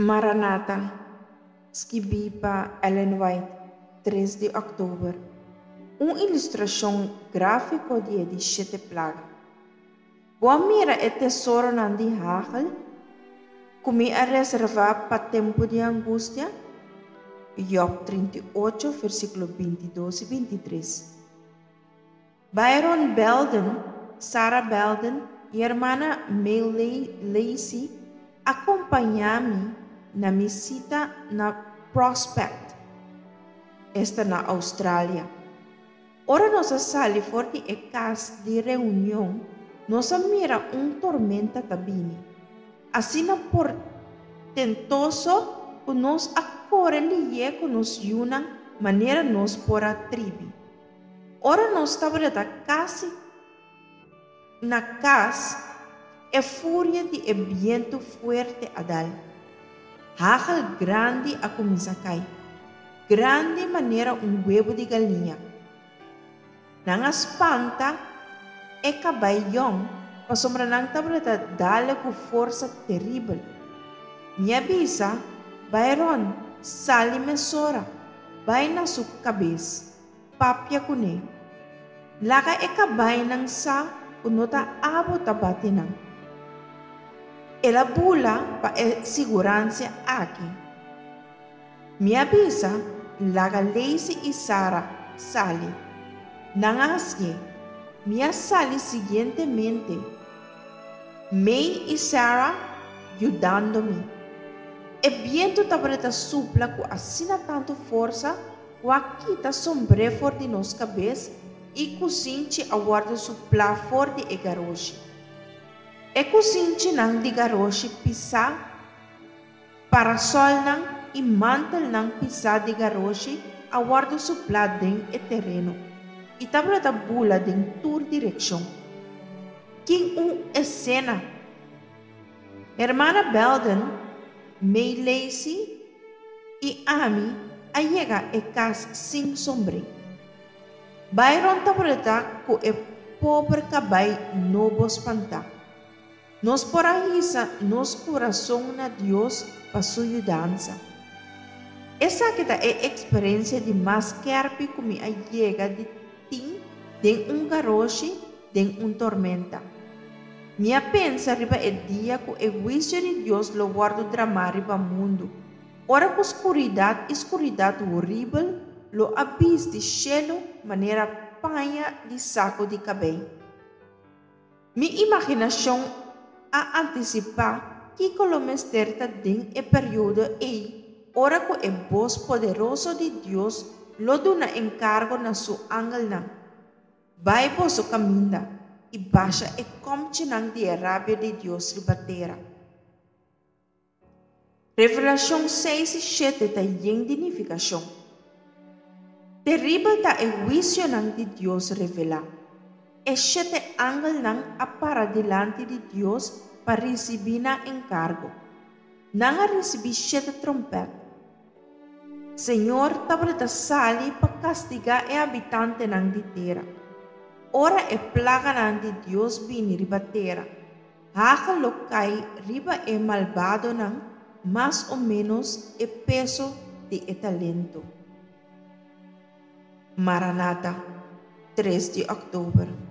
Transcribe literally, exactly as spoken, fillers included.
Maranata, skibí pa Ellen White, tres di òktober. Un ilustrashon gráfiko di e di shete plaga. Bo a mira e tesoronan di hagel ku mi a reservá pa tempu di angustia? Job trinta i ocho, versíkulo binti i dos i binti i tres. Byron Belden, Sarah Belden i hermana May Lacey a kompañá mi na mi sita na Prospect, esta na Australia. Ora nos a sali for di e kas di reunion, nos a mira un tormenta ta bini. Asina portentoso ku nos a kore lihé ku nos yunan manera nos por a tribi. Ora nos tabata kasi na kas, e furia di e bientu fuerte a dal. Hagel grandi a kuminsá kai, grandi manera un webu di galiña. Nan a spanta e kabai yòn, pasobra nan tabata dal ku forsa teribel. Mi a bisa, Byron, sali mesora, bai na su kabes, papia kuné. Laga e kabainan sa ku no ta abo ta bati nan. El a bula pa e siguransia aki. Mi a bisa, laga Lacey i Sarah sali. Nan a hasié. Mi a sali siguientemente. May i Sarah yudando mi. E bientu tabata supla ku asina tantu forsa ku a kita sombré for di nos kabes i kusinchi a wòrdu suplá for di e garoshi. E kusinchinan di garoshi pisá, parasolnan i mantelnan pisá di garoshi a wòrdu suplá den e tereno i tabata bula den tur direkshon. Ki un esena! Hermana Belden, May Lacey i ami a yega e kas sin sombré. Byron tabata ku e pober kabai nobo spantá. Nos por a hisa nos kurason na Dios pa su yudansa. Esaki ta e eksperensia di mas skèrpi ku mi a yega di tin den un garoshi den un tormenta. Mi a pensa riba e dia ku e huisio di Dios lo wòrdu dramá riba mundu, ora ku skuridat i skuridat horibel lo a bisti shelu manera paña di saku di kabei. Mi imaginashon a antisipá kiko lo mester ta den e periodo ei ora ku e bos poderoso di Dios lo duna enkargo na su angelnan. Bai boso kaminda i basha e kòmchinan di e rabia di Dios riba tera. Revelashon seis i shete ta yen di nifikashon. Teribel ta e huisionan di Dios revelá. E shete angelnan a para dilanti di Dios pa risibí nan enkargo. Nan a risibí shete tròmpèt. Señor tabata sali pa kastigá e habitantenan di tera. Ora e plaganan di Dios bini riba tera, hagel lo kai riba e malbadonan mas o ménos e peso di e talento. Maranata, tres di òktober.